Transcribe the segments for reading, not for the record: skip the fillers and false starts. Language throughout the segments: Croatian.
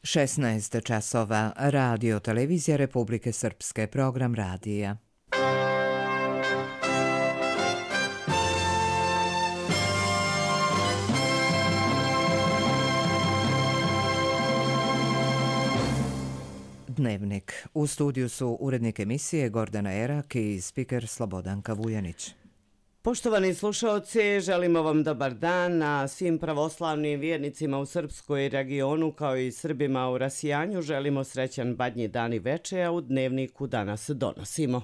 16 časova, Radio Televizija Republike Srpske, program radija. Dnevnik. U studiju su urednik emisije Gordana Erak i spiker Slobodanka Vujanić. Poštovani slušaoci, želimo vam dobar dan, a svim pravoslavnim vjernicima u Srpskoj regionu kao i Srbima u rasijanju želimo srećan Badnji dan i veče, a u dnevniku danas donosimo.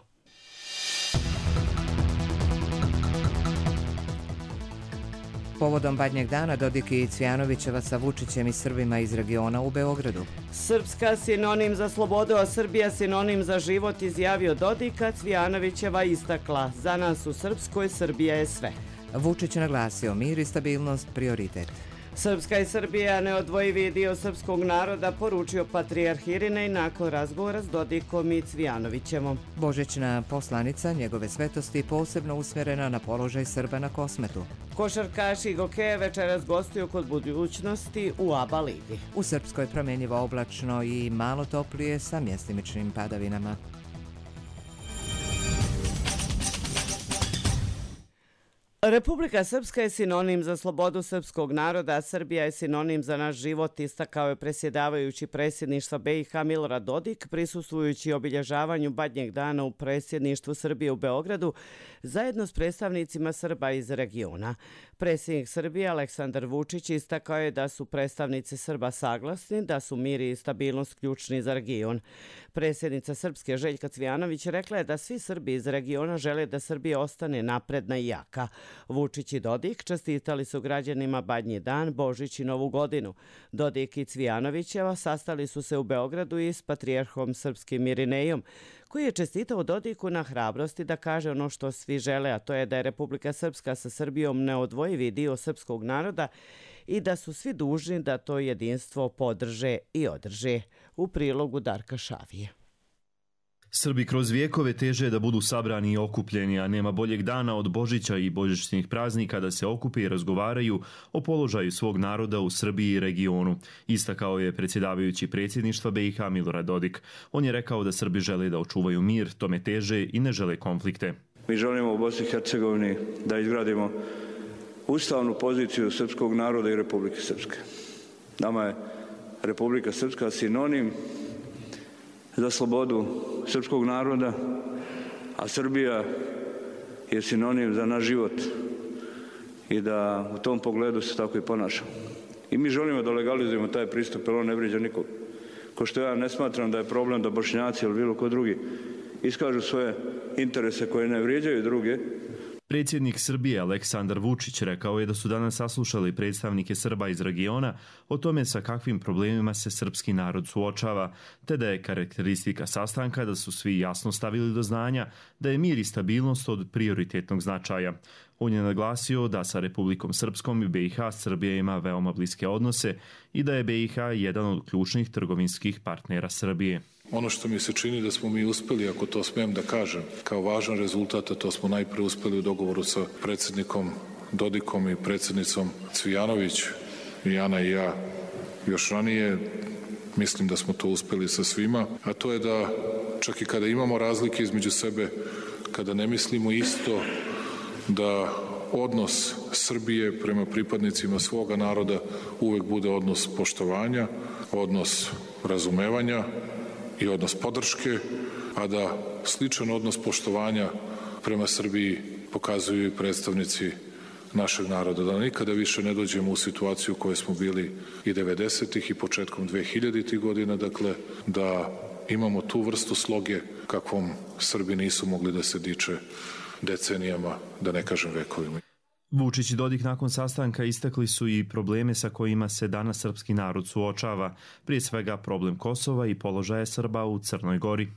Povodom Badnjeg dana Dodik i Cvijanovićeva sa Vučićem i Srbima iz regiona u Beogradu. Srpska sinonim za slobodu, a Srbija sinonim za život, izjavio Dodik, a Cvijanovićeva istakla: za nas u Srpskoj Srbija je sve. Vučić naglasio: mir i stabilnost prioritet. Srpska i Srbija neodvojivi dio srpskog naroda, poručio patrijarh Irinej nakon razgovora s Dodikom i Cvijanovićevom. Božićna poslanica njegove svetosti posebno usmjerena na položaj Srba na Kosmetu. Košarkaši Gokeje večeras gostuju kod Budućnosti u ABA ligi. U Srpskoj promjenjivo oblačno i malo toplije sa mjestimičnim padavinama. Republika Srpska je sinonim za slobodu srpskog naroda, a Srbija je sinonim za naš život, istakao je predsjedavajući predsjedništva BiH Milorad Dodik, prisustvujući obilježavanju Badnjeg dana u predsjedništvu Srbije u Beogradu, zajedno s predstavnicima Srba iz regiona. Predsjednik Srbije Aleksandar Vučić istakao je da su predstavnici Srba saglasni da su mir i stabilnost ključni za region. Predsjednica Srpske Željka Cvijanović rekla je da svi Srbi iz regiona žele da Srbija ostane napredna i jaka. Vučić i Dodik čestitali su građanima Badnji dan, Božić i Novu godinu. Dodik i Cvijanovićeva sastali su se u Beogradu i s patrijarhom srpskim Irinejom, koji je čestitao Dodiku na hrabrosti da kaže ono što svi žele, a to je da je Republika Srpska sa Srbijom neodvojivi dio srpskog naroda i da su svi dužni da to jedinstvo podrže i održe. U prilogu Darka Šavije. Srbi kroz vijekove teže da budu sabrani i okupljeni, a nema boljeg dana od Božića i božićnih praznika da se okupe i razgovaraju o položaju svog naroda u Srbiji i regionu, istakao je predsjedavajući predsjedništva BiH Milorad Dodik. On je rekao da Srbi žele da očuvaju mir, tome teže i ne žele konflikte. Mi želimo u Bosni i Hercegovini da izgradimo ustavnu poziciju srpskog naroda i Republike Srpske. Nama je Republika Srpska sinonim za slobodu srpskog naroda, a Srbija je sinonim za naš život i da u tom pogledu se tako i ponašamo. I mi želimo da legalizujemo taj pristup, jer on ne vrijeđa nikog. Ko što ja ne smatram da je problem da Bošnjaci ili bilo ko drugi iskažu svoje interese koje ne vrijeđaju druge. Predsjednik Srbije Aleksandar Vučić rekao je da su danas saslušali predstavnike Srba iz regiona o tome sa kakvim problemima se srpski narod suočava, te da je karakteristika sastanka da su svi jasno stavili do znanja da je mir i stabilnost od prioritetnog značaja. On je naglasio da sa Republikom Srpskom i BiH Srbija ima veoma bliske odnose i da je BiH jedan od ključnih trgovinskih partnera Srbije. Ono što mi se čini da smo mi uspjeli, ako to smijem da kažem, kao važan rezultat, a to smo najprije uspjeli u dogovoru sa predsjednikom Dodikom i predsjednicom Cvijanović, i Ana i ja još ranije, mislim da smo to uspjeli sa svima, a to je da čak i kada imamo razlike između sebe, kada ne mislimo isto, da odnos Srbije prema pripadnicima svoga naroda uvek bude odnos poštovanja, odnos razumevanja i odnos podrške, a da sličan odnos poštovanja prema Srbiji pokazuju i predstavnici našeg naroda. Da nikada više ne dođemo u situaciju u kojoj smo bili i 90-ih i početkom 2000-ih godina, dakle da imamo tu vrstu sloge kakvom Srbi nisu mogli da se diče decenijama, da ne kažem vekovima. Vučić i Dodik nakon sastanka istakli su i probleme sa kojima se danas srpski narod suočava, prije svega problem Kosova i položaja Srba u Crnoj Gori.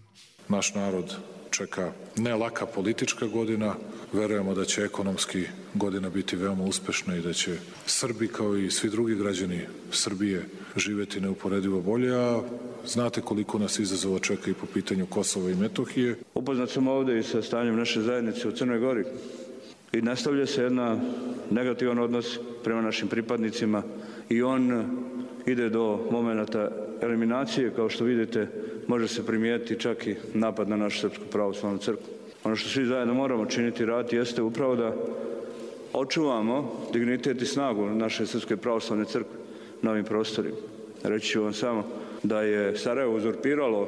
Naš narod čeka ne laka politička godina, verujemo da će ekonomski godina biti veoma uspešna i da će Srbi kao i svi drugi građani Srbije živjeti neuporedivo bolje, a znate koliko nas izazova čeka i po pitanju Kosova i Metohije. Upoznat sam ovdje i sa stanjem naše zajednice u Crnoj Gori i nastavlja se jedan negativan odnos prema našim pripadnicima i on ide do momenata eliminacije, kao što vidite, može se primijetiti čak i napad na našu Srpsku pravoslavnu crkvu. Ono što svi zajedno moramo činiti i raditi jeste upravo da očuvamo dignitet i snagu naše Srpske pravoslavne crkve na ovim prostorima. Reći ću vam samo da je Sarajevo uzurpiralo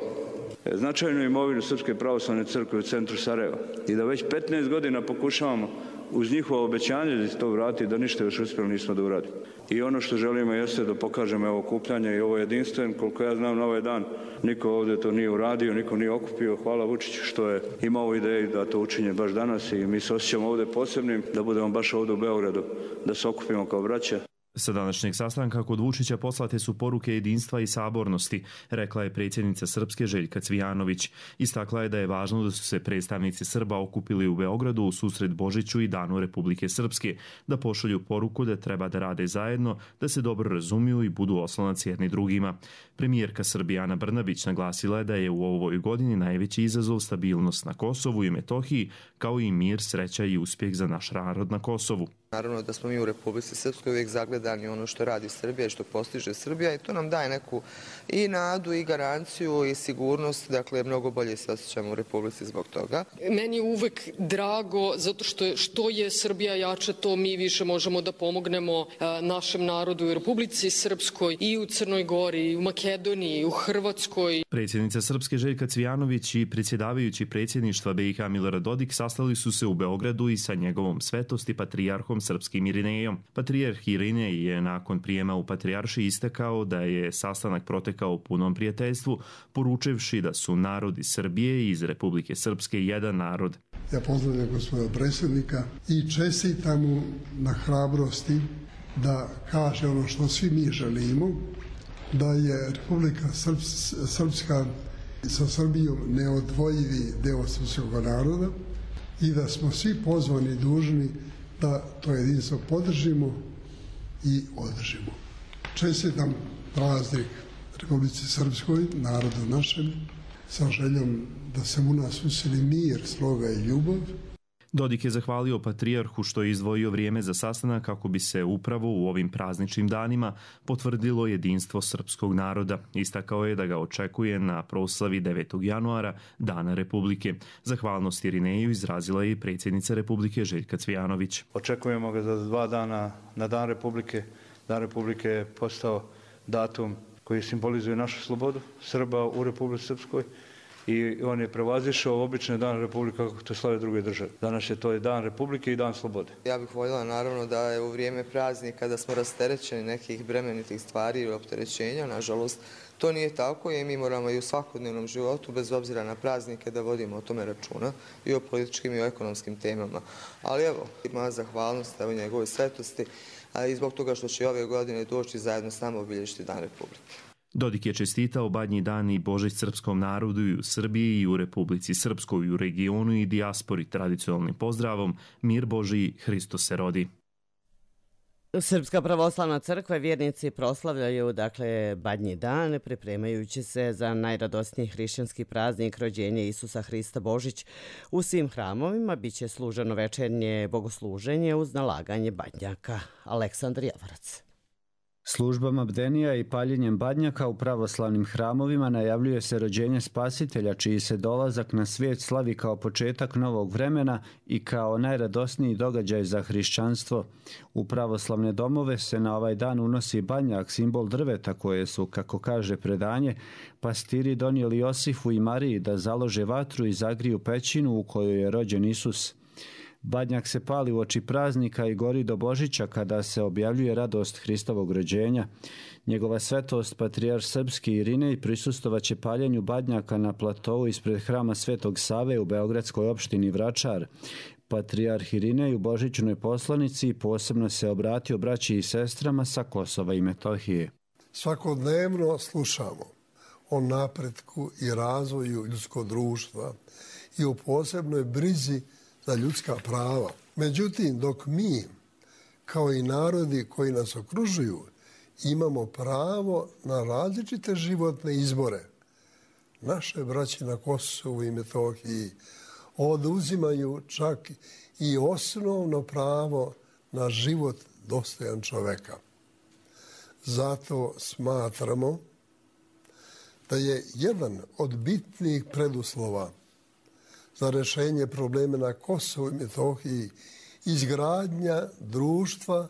značajnu imovinu Srpske pravoslavne crkve u centru Sarajeva i da već 15 godina pokušavamo uz njihovo obećanje da se to vrati, da ništa još uspjeli nismo da uradimo. I ono što želimo jeste da pokažemo ovo okupljanje i ovo jedinstven. Koliko ja znam, na ovaj dan niko ovdje to nije uradio, niko nije okupio. Hvala Vučiću što je imao ideju da to učinje baš danas i mi se osjećamo ovdje posebnim, da budemo baš ovdje u Beogradu, da se okupimo kao braća. Sa današnjeg sastanka kod Vučića poslate su poruke jedinstva i sabornosti, rekla je predsjednica Srpske Željka Cvijanović. Istakla je da je važno da su se predstavnici Srba okupili u Beogradu u susret Božiću i Danu Republike Srpske, da pošalju poruku da treba da rade zajedno, da se dobro razumiju i budu oslonac jedni drugima. Premijerka Srbije Ana Brnabić naglasila je da je u ovoj godini najveći izazov stabilnost na Kosovu i Metohiji, kao i mir, sreća i uspjeh za naš narod na Kosovu. Naravno da smo mi u Republici Srpskoj uvijek zagledani ono što radi Srbija i što postiže Srbija i to nam daje neku i nadu i garanciju i sigurnost, dakle mnogo bolje se osjećamo u Republici zbog toga. Meni je uvek drago zato što je Srbija jača, to mi više možemo da pomognemo našem narodu u Republici Srpskoj i u Crnoj Gori, i u Makedoniji, i u Hrvatskoj. Predsjednica Srpske Željka Cvijanović i predsjedavajući predsjedništva BiH Milorad Dodik sastali su se u Beogradu i sa njegovom svetosti patrijarhom srpskim Irinejom. Patrijarh Irinej je nakon prijema u patrijarši istakao da je sastanak protekao u punom prijateljstvu, poručivši da su narodi Srbije i iz Republike Srpske jedan narod. Ja pozdravljam gospodina predsjednika i čestitam mu na hrabrosti da kaže ono što svi mi želimo, da je Republika Srpska sa Srbijom neodvojivi deo srpskog naroda i da smo svi pozvani i dužni da to jedinstvo podržimo i održimo. Čestitam praznik Republici Srpskoj, narodu našem, sa željom da se u nas usili mir, sloga i ljubav. Dodik je zahvalio patrijarhu što je izdvojio vrijeme za sastanak kako bi se upravo u ovim prazničnim danima potvrdilo jedinstvo srpskog naroda. Istakao je da ga očekuje na proslavi 9. januara, Dana Republike. Zahvalnost Irineju izrazila je i predsjednica Republike Željka Cvijanović. Očekujemo ga za 2 dana na Dan Republike. Dan Republike je postao datum koji simbolizuje našu slobodu Srba u Republici Srpskoj. I on je prevazišao obične Dan Republike kako to slave druge države. Danas je to i Dan Republike i Dan slobode. Ja bih voljela naravno da je u vrijeme praznika da smo rasterećeni nekih bremenitih stvari ili opterećenja. Nažalost, to nije tako i mi moramo i u svakodnevnom životu, bez obzira na praznike, da vodimo o tome računa i o političkim i o ekonomskim temama. Ali evo, ima zahvalnost evo njegovoj svetosti, a i zbog toga što će ove godine doći zajedno s nama obilježiti Dan Republike. Dodik je čestitao Badnji dan i Božić srpskom narodu i u Srbiji i u Republici Srpskoj i u regionu i dijaspori tradicionalnim pozdravom Mir Božiji, Hristos se rodi. Srpska pravoslavna crkva i vjernici proslavljaju Badnji dan, pripremajući se za najradosniji hrišćanski praznik rođenja Isusa Hrista Božić. U svim hramovima biće služeno večernje bogosluženje uz nalaganje badnjaka. Aleksandar Javarac. Službama bdenija i paljenjem badnjaka u pravoslavnim hramovima najavljuje se rođenje Spasitelja, čiji se dolazak na svijet slavi kao početak novog vremena i kao najradosniji događaj za hrišćanstvo. U pravoslavne domove se na ovaj dan unosi badnjak, simbol drveta koje su, kako kaže predanje, pastiri donijeli Josifu i Mariji da založe vatru i zagriju pećinu u kojoj je rođen Isus. Badnjak se pali uoči praznika i gori do Božića kada se objavljuje radost Hristovog rođenja. Njegova svetost, patrijarh srpski Irinej, prisustvovaće paljenju badnjaka na platovu ispred hrama Svetog Save u beogradskoj opštini Vračar. Patrijarh Irinej u božićnoj poslanici posebno se obratio braći i sestrama sa Kosova i Metohije. Svakodnevno slušamo o napretku i razvoju ljudskog društva i o posebnoj brizi za ljudska prava. Međutim, dok mi, kao i narodi koji nas okružuju, imamo pravo na različite životne izbore, naše braće na Kosovu i Metohiji oduzimaju čak i osnovno pravo na život dostojan čoveka. Zato smatramo da je jedan od bitnih preduslova za rješenje problema na Kosovu i Metohiji izgradnja društva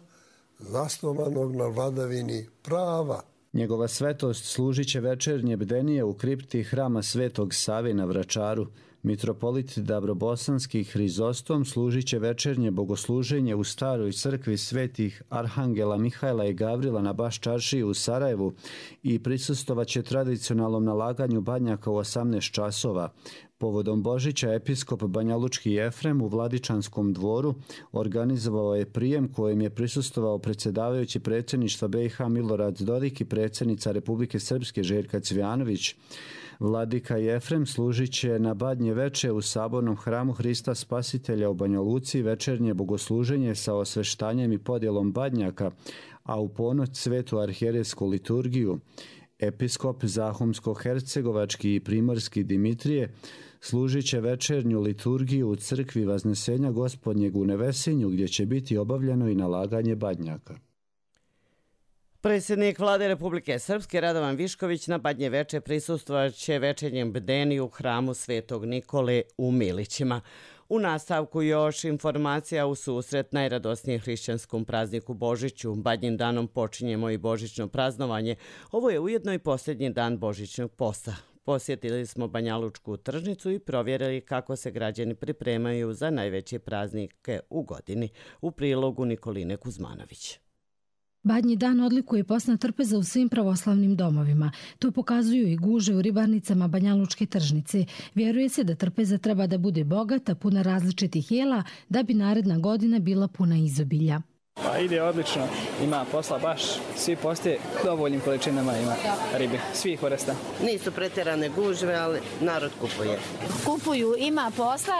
zasnovanog na vladavini prava. Njegova svetost služit će večernje bdenije u kripti hrama Svetog Save na Vračaru. Mitropolit Dabrobosanski Hrizostom služit će večernje bogosluženje u staroj crkvi svetih Arhangela Mihajla i Gavrila na Baščaršiji u Sarajevu i prisustvovat će tradicionalnom nalaganju badnjaka u 18 časova. Povodom Božića episkop Banjalučki Jefrem u Vladičanskom dvoru organizovao je prijem kojem je prisustvovao predsjedavajući predsjedništva BiH Milorad Dodik i predsjednica Republike Srpske Željka Cvijanović. Vladika Jefrem služit će na badnje veče u sabornom hramu Hrista Spasitelja u Banja Luci večernje bogosluženje sa osveštanjem i podjelom badnjaka, a u ponoć svetu arhijerejsku liturgiju. Episkop Zahumsko-hercegovački i primorski Dimitrije služit će večernju liturgiju u crkvi Vaznesenja Gospodnjeg u Nevesinju, gdje će biti obavljeno i nalaganje badnjaka. Predsjednik Vlade Republike Srpske Radovan Višković na badnje veče prisustvovat će večernjem bdeniju u hramu Svetog Nikole u Milićima. U nastavku još informacija u susret najradosnijem hrišćanskom prazniku Božiću. Badnjim danom počinjemo i božićno praznovanje. Ovo je ujedno i posljednji dan božićnog posta. Posjetili smo Banjalučku tržnicu i provjerili kako se građani pripremaju za najveće praznike u godini. U prilogu Nikoline Kuzmanović. Badnji dan odlikuje postna trpeza u svim pravoslavnim domovima. To pokazuju i gužve u ribarnicama Banjalučke tržnice. Vjeruje se da trpeza treba da bude bogata, puna različitih jela, da bi naredna godina bila puna izobilja. Pa ide odlično, ima posla baš, svi postoje dovoljnim količinama ima ribe, svih vrsta. Nisu pretjerane gužve, ali narod kupuje. Kupuju, ima posla,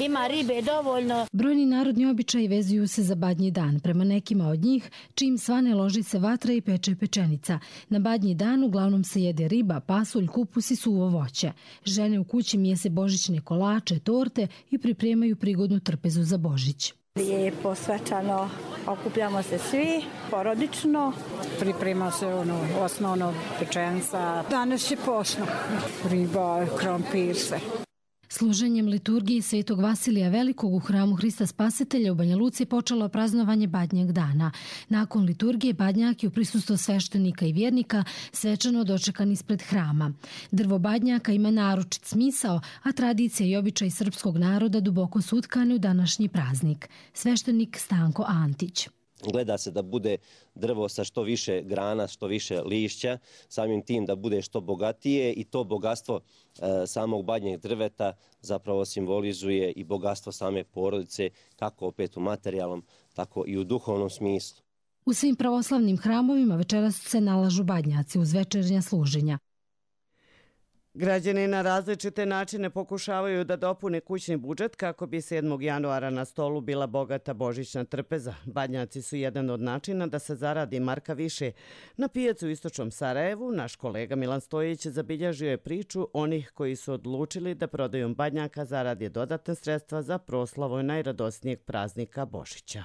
ima ribe dovoljno. Brojni narodni običaji vezuju se za badnji dan. Prema nekima od njih, čim svane loži se vatra i peče pečenica. Na badnji dan uglavnom se jede riba, pasulj, kupus i suvo voće. Žene u kući mijese božićne kolače, torte i pripremaju prigodnu trpezu za Božić. Lijepo, svečano, okupljamo se svi, porodično. Priprema se osnovno pečenca. Danas je posno. Riba, krompir, sve. Služenjem liturgije Svetog Vasilija Velikog u hramu Hrista Spasitelja u Banja Luci počelo praznovanje badnjeg dana. Nakon liturgije badnjak je u prisustvu sveštenika i vjernika svečano dočekan ispred hrama. Drvo badnjaka ima naročit smisao, a tradicija i običaj srpskog naroda duboko su utkane u današnji praznik. Sveštenik Stanko Antić. Gleda se da bude drvo sa što više grana, što više lišća, samim tim da bude što bogatije i to bogatstvo samog badnjeg drveta zapravo simbolizuje i bogatstvo same porodice, kako opet u materijalnom, tako i u duhovnom smislu. U svim pravoslavnim hramovima večeras se nalažu badnjaci uz večernja služenja. Građani na različite načine pokušavaju da dopune kućni budžet kako bi 7. januara na stolu bila bogata božićna trpeza. Badnjaci su jedan od načina da se zaradi marka više. Na pijacu u istočnom Sarajevu naš kolega Milan Stojić zabilježio je priču onih koji su odlučili da prodajom badnjaka zaradi dodatne sredstva za proslavu najradosnijeg praznika Božića.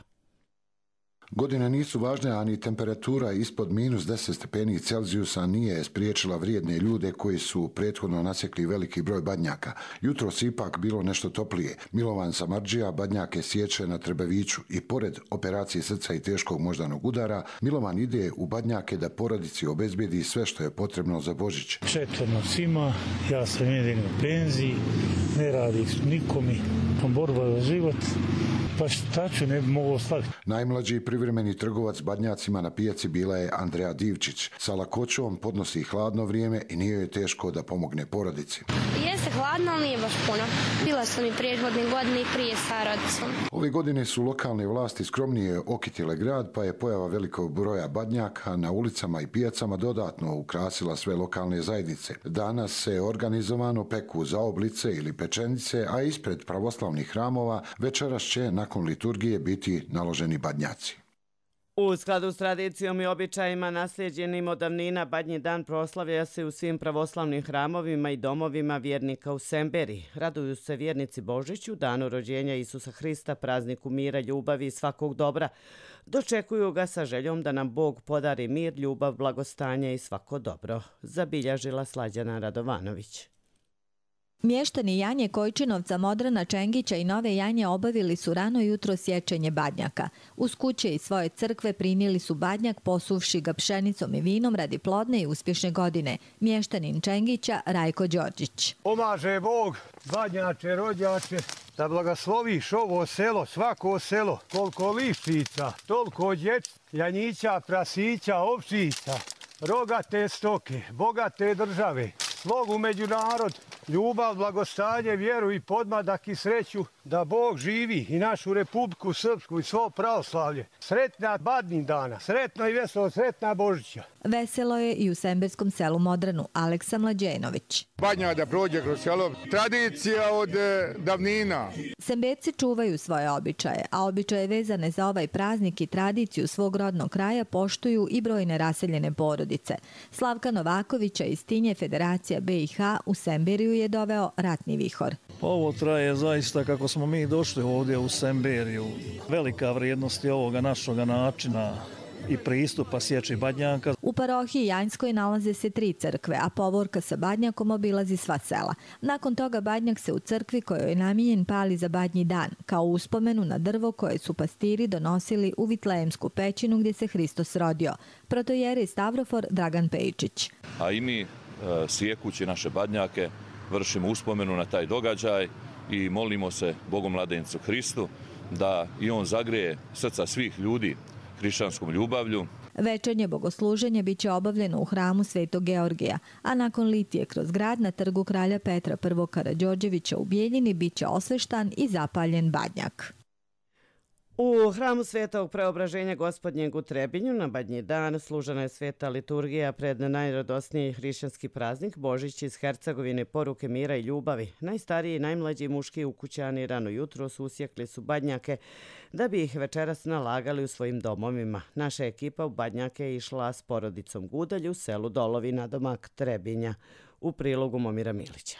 Godine nisu važne, a ni temperatura ispod -10 stepeni Celzijusa nije spriječila vrijedne ljude koji su prethodno nasjekli veliki broj badnjaka. Jutros ipak bilo nešto toplije. Milovan Samardžija badnjake sječe na Trebeviću i pored operacije srca i teškog moždanog udara, Milovan ide u badnjake da porodici obezbijedi sve što je potrebno za Božić. 4 nas ima, ja sam jedin u penziji, ne radi nikomi, borba za život. Pa šta ću, ne bi mogao staviti. Najmlađi privremeni trgovac badnjacima na pijaci bila je Andreja Divčić. Sa lakoćom podnosi hladno vrijeme i nije joj teško da pomogne porodici. Jeste hladno, ali nije baš puno. Bila sam i prethodne godine i prije sa rodicom. Ove godine su lokalne vlasti skromnije okitile grad, pa je pojava velikog broja badnjaka na ulicama i pijacama dodatno ukrasila sve lokalne zajednice. Danas se organizovano peku zaoblice ili pečenice, a ispred pravoslavnih hramova večeras će nakon liturgije biti naloženi badnjaci. U skladu s tradicijom i običajima naslijeđenim od davnina, Badnji dan proslavlja se u svim pravoslavnim hramovima i domovima vjernika u Semberiji. Raduju se vjernici Božiću, danu rođenja Isusa Hrista, prazniku mira, ljubavi i svakog dobra. Dočekuju ga sa željom da nam Bog podari mir, ljubav, blagostanje i svako dobro, zabilježila Slađana Radovanović. Mještani Janje Kojčinovca, Modrana Čengića i Nove Janje obavili su rano jutro sječenje badnjaka. Uz kuće i svoje crkve prinijeli su badnjak posuvši ga pšenicom i vinom radi plodne i uspješne godine. Mještanin Čengića Rajko Đorđić. Pomaže Bog, badnjače, rođače, da blagosloviš ovo selo, svako selo, koliko liščica, toliko djec, janjića, prasića, ovčica, rogate stoke, bogate države, slogu među narod, ljubav, blagostanje, vjeru i podmadak i sreću, da Bog živi i našu Republiku Srpsku i svo pravoslavlje. Sretna Badnji dana, sretno i veselo, sretna Božića. Veselo je i u semberskom selu Modranu. Aleksa Mlađenović. Badnja da prođe kroz selo, tradicija od davnina. Semberci čuvaju svoje običaje, a običaje vezane za ovaj praznik i tradiciju svog rodnog kraja poštuju i brojne raseljene porodice. Slavka Novakovića iz Tinje Federacija BiH u Semberiju je doveo ratni vihor. Ovo traje zaista kako smo mi došli ovdje u Semberiju. Velika vrijednost je ovoga našoga načina i pristupa sječi badnjaka. U parohiji Janjskoj nalaze se 3 crkve, a povorka sa badnjakom obilazi sva sela. Nakon toga badnjak se u crkvi kojoj je namijenjen pali za Badnji dan, kao uspomenu na drvo koje su pastiri donosili u Vitlejemsku pećinu gdje se Hristos rodio. Protojerej Stavrofor Dragan Pejčić. A i mi sjekući naše badnjake vršimo uspomenu na taj događaj i molimo se Bogom mladencu Hristu da i on zagreje srca svih ljudi hrišćanskom ljubavlju. Večernje bogosluženje biće obavljeno u hramu Svetog Georgija, a nakon litije kroz grad na trgu kralja Petra I. Karađorđevića u Bijeljini biće osveštan i zapaljen badnjak. U hramu Svetog Preobraženja Gospodnjeg u Trebinju na Badnji dan služena je sveta liturgija pred najradosniji hrišćanski praznik Božić iz Hercegovine, poruke mira i ljubavi. Najstariji i najmlađi muški ukućani rano jutro usjekli su badnjake da bi ih večeras nalagali u svojim domovima. Naša ekipa u badnjake je išla s porodicom Gudalj u selu Dolovi na domak Trebinja, u prilogu Momira Milića.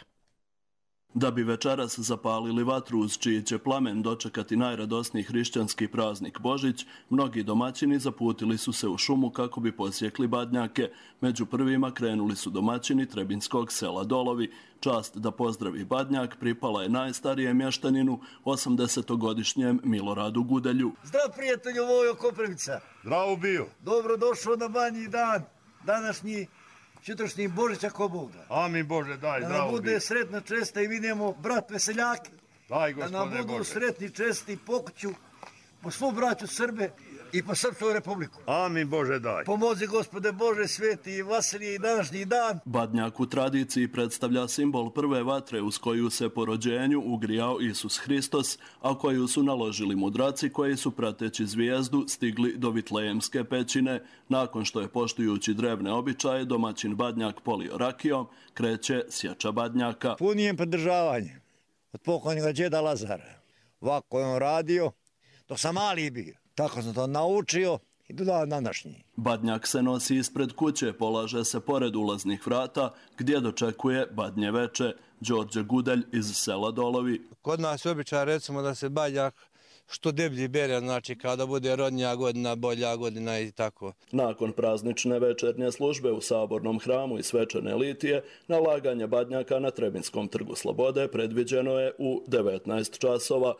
Da bi večeras zapalili vatru uz čiji će plamen dočekati najradosniji hrišćanski praznik Božić, mnogi domaćini zaputili su se u šumu kako bi posjekli badnjake. Među prvima krenuli su domaćini trebinskog sela Dolovi. Čast da pozdravi badnjak pripala je najstarijem mještaninu, 80-godišnjem Miloradu Gudelju. Zdrav prijatelju Vojo Koprivica. Zdravo bio. Dobro došao na Badnji dan, današnji sutrašnji Božić ako Bog da. Amin Bože, daj, da zdravo nam bude sretna česta i vidimo brat veseljake. Daj, gospode da nam budu Bože. Sretni česti pokuću po svu braću Srbe i po Srpsku republiku. Amin Bože, daj. Pomozi Gospode Bože sveti i Vasilije i današnji dan. Badnjak u tradiciji predstavlja simbol prve vatre uz koju se po rođenju ugrijao Isus Hristos, a koju su naložili mudraci koji su prateći zvijezdu stigli do Vitlejemske pećine. Nakon što je poštujući drevne običaje domaćin badnjak polio rakijom, kreće sječa badnjaka. Punijem pridržavanje od pokojnika džeda Lazara. Ovako je on radio dok sam mali bio. Tako sam to naučio i do današnji. Badnjak se nosi ispred kuće, polaže se pored ulaznih vrata gdje dočekuje badnje veče. Đorđe Gudelj iz sela Dolovi. Kod nas je običaj recimo da se badnjak što deblji bere, znači kada bude rodnja godina, bolja godina i tako. Nakon praznične večernje službe u Sabornom hramu i svečane litije, nalaganje badnjaka na Trebinskom trgu Slobode predviđeno je u 19 časova.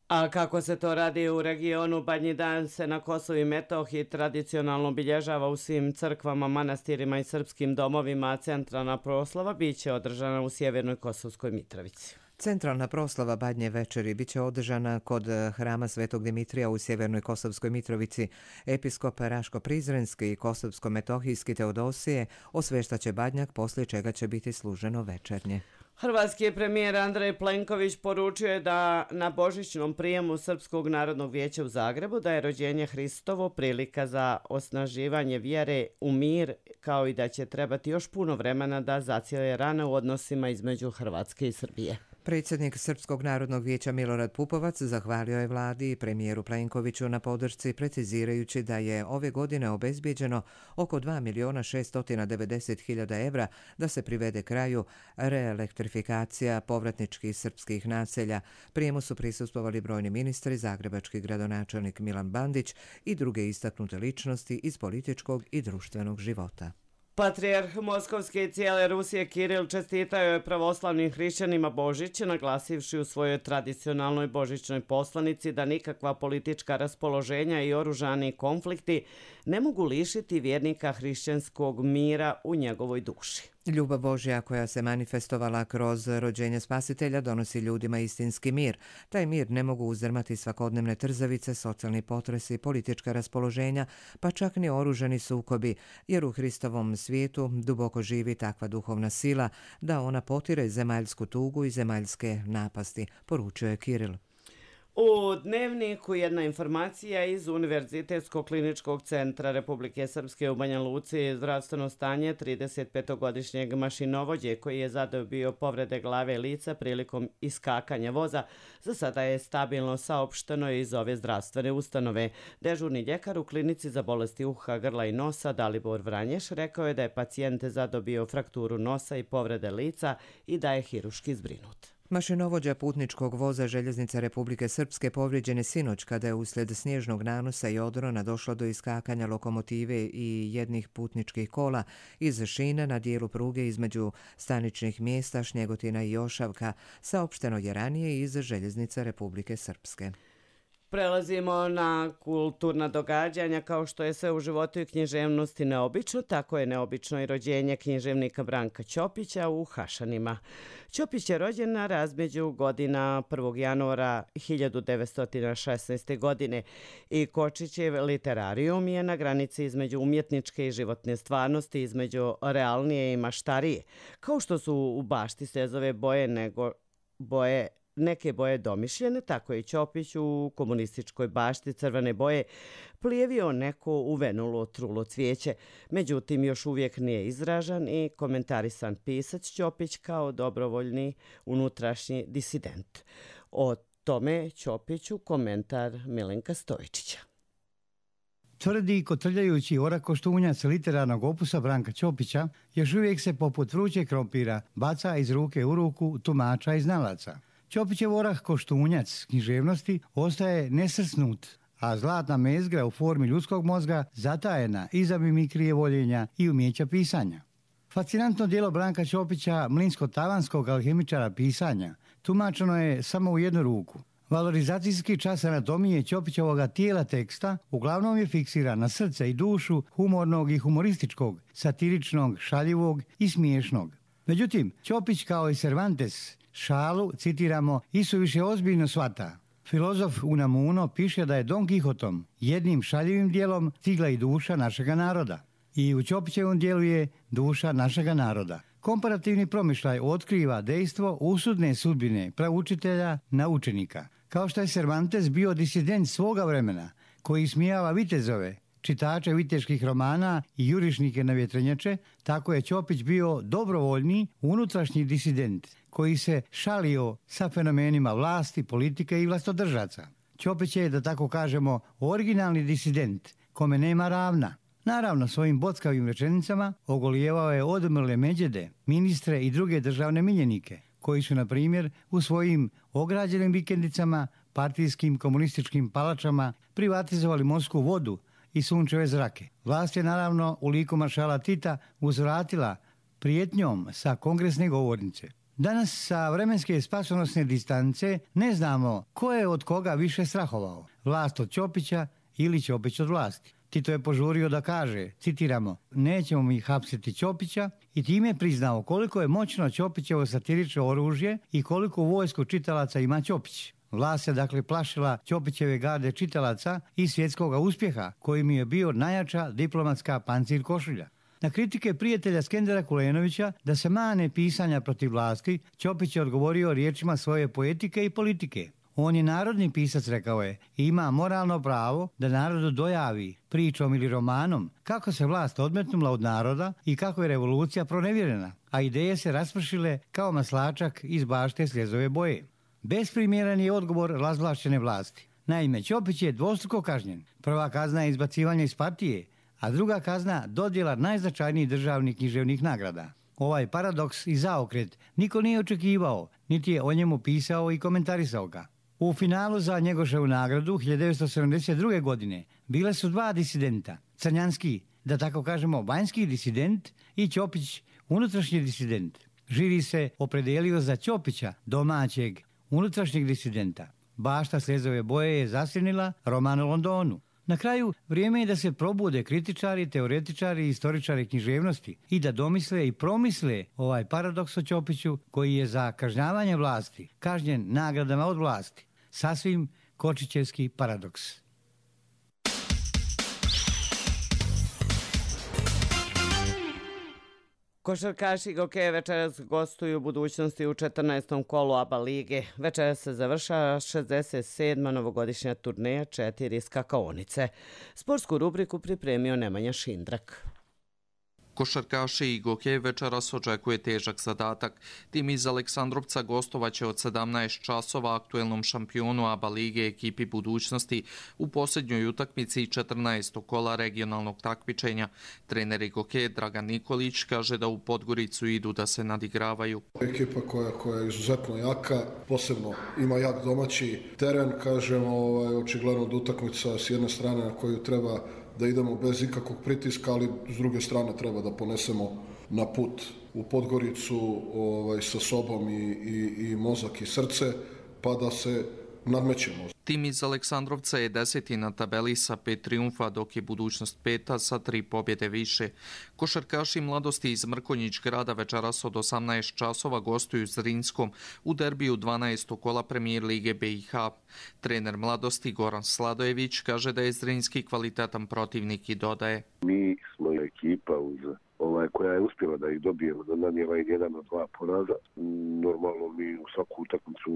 A kako se to radi u regionu, Badnji dan se na Kosovu i Metohiji tradicionalno obilježava u svim crkvama, manastirima i srpskim domovima, a centralna proslava biće održana u Sjevernoj Kosovskoj Mitrovici. Centralna proslava Badnje večeri biće održana kod hrama Svetog Dimitrija u Sjevernoj Kosovskoj Mitrovici. Episkop Raško-Prizrenski i Kosovsko-Metohijski Teodosije osveštaće badnjak, poslije čega će biti služeno večernje. Hrvatski premijer Andrej Plenković poručio je da na božićnom prijemu Srpskog narodnog vijeća u Zagrebu da je rođenje Hristovo prilika za osnaživanje vjere u mir, kao i da će trebati još puno vremena da zacijele rane u odnosima između Hrvatske i Srbije. Predsjednik Srpskog narodnog vijeća Milorad Pupovac zahvalio je vladi i premijeru Plenkoviću na podršci, precizirajući da je ove godine obezbijeđeno oko 2.690.000 evra da se privede kraju reelektrifikacija povratničkih srpskih naselja. Prijemu su prisustvovali brojni ministri, zagrebački gradonačelnik Milan Bandić i druge istaknute ličnosti iz političkog i društvenog života. Patrijarh Moskovske i cijele Rusije Kiril čestitao je pravoslavnim hrišćanima Božić, naglasivši u svojoj tradicionalnoj božićnoj poslanici da nikakva politička raspoloženja i oružani konflikti ne mogu lišiti vjernika hrišćanskog mira u njegovoj duši. Ljubav Božja koja se manifestovala kroz rođenje Spasitelja donosi ljudima istinski mir. Taj mir ne mogu uzdrmati svakodnevne trzavice, socijalni potresi, politička raspoloženja, pa čak ni oružani sukobi, jer u Hristovom svijetu duboko živi takva duhovna sila da ona potire zemaljsku tugu i zemaljske napasti, poručio je Kiril. U Dnevniku jedna informacija iz Univerzitetskog kliničkog centra Republike Srpske u Banja Luci. Zdravstveno stanje 35-godišnjeg mašinovođe koji je zadobio povrede glave i lica prilikom iskakanja voza za sada je stabilno, saopšteno iz ove zdravstvene ustanove. Dežurni ljekar u klinici za bolesti uha, grla i nosa Dalibor Vranješ rekao je da je pacijent zadobio frakturu nosa i povrede lica i da je hiruški zbrinut. Mašinovođa putničkog voza Željeznice Republike Srpske povrijeđen je sinoć kada je uslijed snježnog nanosa i odrona došlo do iskakanja lokomotive i jednih putničkih kola iz šina na dijelu pruge između staničnih mjesta Šnjegotina i Jošavka, saopšteno je ranije iz Željeznice Republike Srpske. Prelazimo na kulturna događanja. Kao što je sve u životu i književnosti neobično, tako je neobično i rođenje književnika Branka Ćopića u Hašanima. Ćopić je rođen na razmeđu godina 1. januara 1916. godine i Kočićev literarijum je na granici između umjetničke i životne stvarnosti, između realnije i maštarije. Kao što su u bašti stezove neke boje domišljene, tako je Ćopić u komunističkoj bašti crvene boje plijevio neko uvenulo trulo cvijeće. Međutim, još uvijek nije izražan i komentarisan pisac Ćopić kao dobrovoljni unutrašnji disident. O tome Ćopiću komentar Milenka Stojičića. Tvrdi i kotrljajući orakoštunjac literarnog opusa Branka Ćopića, još uvijek se poput vrućeg krompira baca iz ruke u ruku tumača i znalaca. Ćopićev orah koštunjac književnosti ostaje nesrsnut, a zlatna mezgra u formi ljudskog mozga zatajena iza mimikrije voljenja i umjeća pisanja. Fascinantno djelo Branka Ćopića, mlinsko-tavanskog alhemičara pisanja, tumačeno je samo u jednu ruku. Valorizacijski čas anatomije Ćopićevoga tijela teksta uglavnom je fiksiran na srce i dušu humornog i humorističkog, satiričnog, šaljivog i smiješnog. Međutim, Ćopić kao i Cervantes šalu, citiramo, isuviše ozbiljno shvata. Filozof Unamuno piše da je Don Kihotom jednim šaljivim dijelom stigla i duša našega naroda. I u Ćopićevom dijelu je duša našega naroda. Komparativni promišljaj otkriva dejstvo usudne sudbine pravučitelja na učenika. Kao što je Cervantes bio disident svoga vremena, koji smijava vitezove, čitače viteških romana i jurišnike na vjetrenjače, tako je Ćopić bio dobrovoljni unutrašnji disident, koji se šalio sa fenomenima vlasti, politike i vlastodržaca. Ćopić je, da tako kažemo, originalni disident, kome nema ravna. Naravno, svojim bockavim rečenicama ogolijevao je odmrle međede, ministre i druge državne miljenike, koji su, na primjer, u svojim ograđenim vikendicama, partijskim komunističkim palačama privatizovali morsku vodu i sunčeve zrake. Vlast je, naravno, u liku maršala Tita uzvratila prijetnjom sa kongresne govornice. Danas sa vremenske spasonosne distance ne znamo ko je od koga više strahovao. Vlast od Ćopića ili Ćopić od vlasti. Tito je požurio da kaže, citiramo, nećemo mi hapsiti Ćopića i time priznao koliko je moćno Ćopićevo satirično oružje i koliko u vojsku čitalaca ima Ćopić. Vlast se dakle plašila Ćopićeve garde čitalaca i svjetskoga uspjeha kojim je bio najjača diplomatska pancir košulja. Na kritike prijatelja Skendera Kulenovića da se mane pisanja protiv vlasti, Ćopić je odgovorio riječima svoje poetike i politike. On je narodni pisac, rekao je, i ima moralno pravo da narodu dojavi pričom ili romanom kako se vlast odmetnula od naroda i kako je revolucija pronevjerena, a ideje se raspršile kao maslačak iz bašte sljezove boje. Besprimjeran je odgovor razvlašćene vlasti. Naime, Ćopić je dvostruko kažnjen. Prva kazna je izbacivanje iz partije, a druga kazna dodjela najznačajnijih državnih književnih nagrada. Ovaj paradoks i zaokret niko nije očekivao, niti je o njemu pisao i komentarisao ga. U finalu za Njegoševu nagradu 1972. godine bile su dva disidenta, Crnjanski, da tako kažemo vanjski disident, i Ćopić, unutrašnji disident. Žiri se opredelio za Ćopića, domaćeg, unutrašnjeg disidenta. Bašta sljezove boje je zasjenila roman o Londonu. Na kraju, vrijeme je da se probude kritičari, teoretičari i istoričari književnosti i da domisle i promisle ovaj paradoks o Ćopiću, koji je za kažnjavanje vlasti kažnjen nagradama od vlasti. Sasvim kočićevski paradoks. Košarkaši Gokeja večeras gostuju u budućnosti u 14. kolu ABA lige. Večeras se završava 67. novogodišnja turneja 4 skakaonice. Sportsku rubriku pripremio Nemanja Šindrak. Košarkaši i Gokej večeras očekuje težak zadatak. Tim iz Aleksandrovca gostovaće od 17 časova aktuelnom šampionu ABA lige ekipi budućnosti u posljednjoj utakmici 14. kola regionalnog takmičenja. Trener Gokej Dragan Nikolić kaže da u Podgoricu idu da se nadigravaju. Ekipa koja je izuzetno jaka, posebno ima jak domaći teren, kažemo, očigledno od utakmica s jedne strane na koju treba da idemo bez ikakvog pritiska, ali s druge strane treba da ponesemo na put u Podgoricu sa sobom i mozak i srce, pa da se nadmećemo. Tim iz Aleksandrovca je 10. na tabeli sa 5 triumfa, dok je budućnost 5. sa 3 pobjede više. Košarkaši mladosti iz Mrkonjić grada večeras od 18 časova gostuju Zrinskom u derbiju 12. kola premijer lige BiH. Trener mladosti Goran Sladojević kaže da je Zrinski kvalitetan protivnik i dodaje: Mi smo ekipa koja je uspjela da ih dobijemo, da nanijela i 1 od 2 poraza. Normalno mi u svaku utakmicu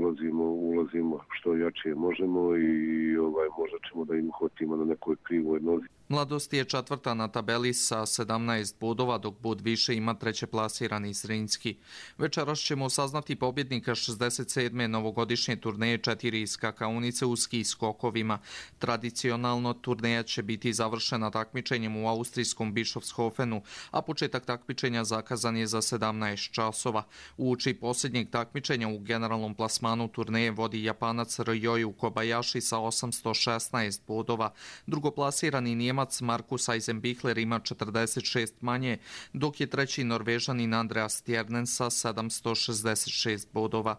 ulazimo što jače možemo i možda ćemo da im uhvatimo na nekoj krivoj nozi. Mladost je 4. na tabeli sa 17 bodova, dok bod više ima 3. plasirani Zrinski. Večeras ćemo saznati pobjednika 67. novogodišnje turneje 4 skakaonice u ski skokovima. Tradicionalno turneja će biti završena takmičenjem u austrijskom Bischofshofenu, a početak takmičenja zakazan je za 17 časova. Uoči posljednjeg takmičenja u generalnom plasmanu turneje vodi Japanac Ryoyu Kobayashi sa 816 bodova. Drugoplasirani Njemac Markus Eisenbichler ima 46 manje, dok je treći Norvežanin Andreas Stjernen sa 766 bodova.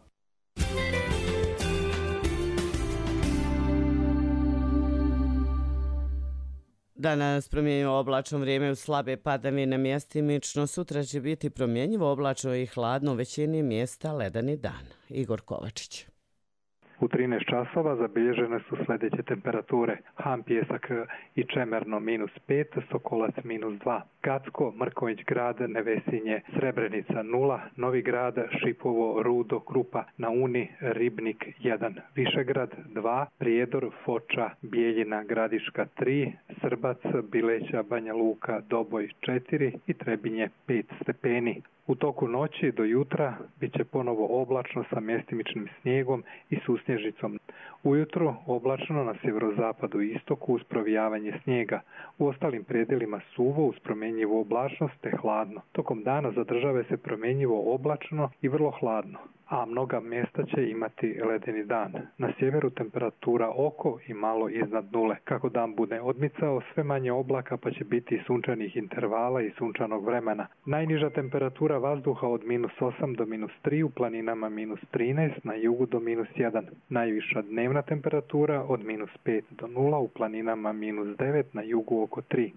Danas promjenjivo oblačno vrijeme u slabe padavine mjestimično, sutra će biti promjenjivo oblačno i hladno, u većini mjesta ledeni dan. Igor Kovačić. U 13 časova zabilježene su sljedeće temperature: Han Pjesak i Čemerno -5, Sokolac -2, Gacko, Mrkonjić grad, Nevesinje, Srebrenica 0, Novi grad, Šipovo, Rudo, Krupa, na Uni, Ribnik 1, Višegrad 2, Prijedor, Foča, Bijeljina, Gradiška 3, Srbac, Bileća, Banja Luka, Doboj 4 i Trebinje 5 stepeni. U toku noći do jutra bit će ponovo oblačno sa mjestimičnim snijegom i susnježicom. Ujutro oblačno na sjeverozapadu i istoku uz provijavanje snijega. U ostalim predjelima suvo uz promjenjivu oblačnost te hladno. Tokom dana zadržava se promjenjivo oblačno i vrlo hladno, a mnoga mjesta će imati ledeni dan. Na sjeveru temperatura oko i malo iznad nule. Kako dan bude odmicao, sve manje oblaka pa će biti sunčanih intervala i sunčanog vremena. Najniža temperatura vazduha od -8 do -3, u planinama -13, na jugu do -1. Najviša dnevna temperatura od -5 do 0, u planinama -9, na jugu oko 3.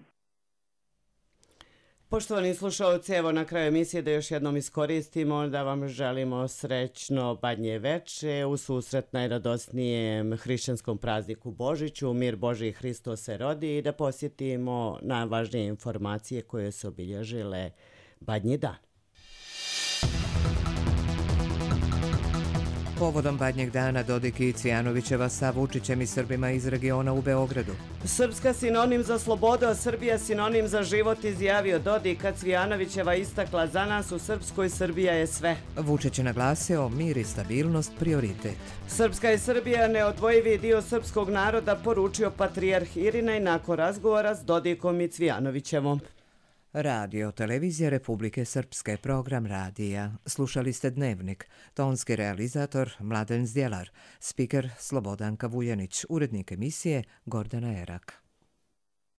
Poštovani slušalci, evo na kraju emisije da još jednom iskoristimo da vam želimo srećno Badnje veče u susret najradosnijem hrišćanskom prazniku Božiću, mir Božji Hristos se rodi, i da posjetimo najvažnije informacije koje su obilježile Badnji dan. Povodom Badnjeg dana Dodik i Cvijanovićeva sa Vučićem i Srbima iz regiona u Beogradu. Srpska sinonim za slobodu, a Srbija sinonim za život, izjavio Dodik, a Cvijanovićeva istakla: za nas u Srpskoj Srbija je sve. Vučić je naglasio: mir i stabilnost prioritet. Srpska i Srbija neodvojivi dio srpskog naroda, poručio patrijarh Irinej nakon razgovora s Dodikom i Cvijanovićevom. Radio Televizija Republike Srpske, program radija. Slušali ste Dnevnik. Tonski realizator Mladen Zdjelar, spiker Slobodanka Vuljanić, urednik emisije Gordana Erak.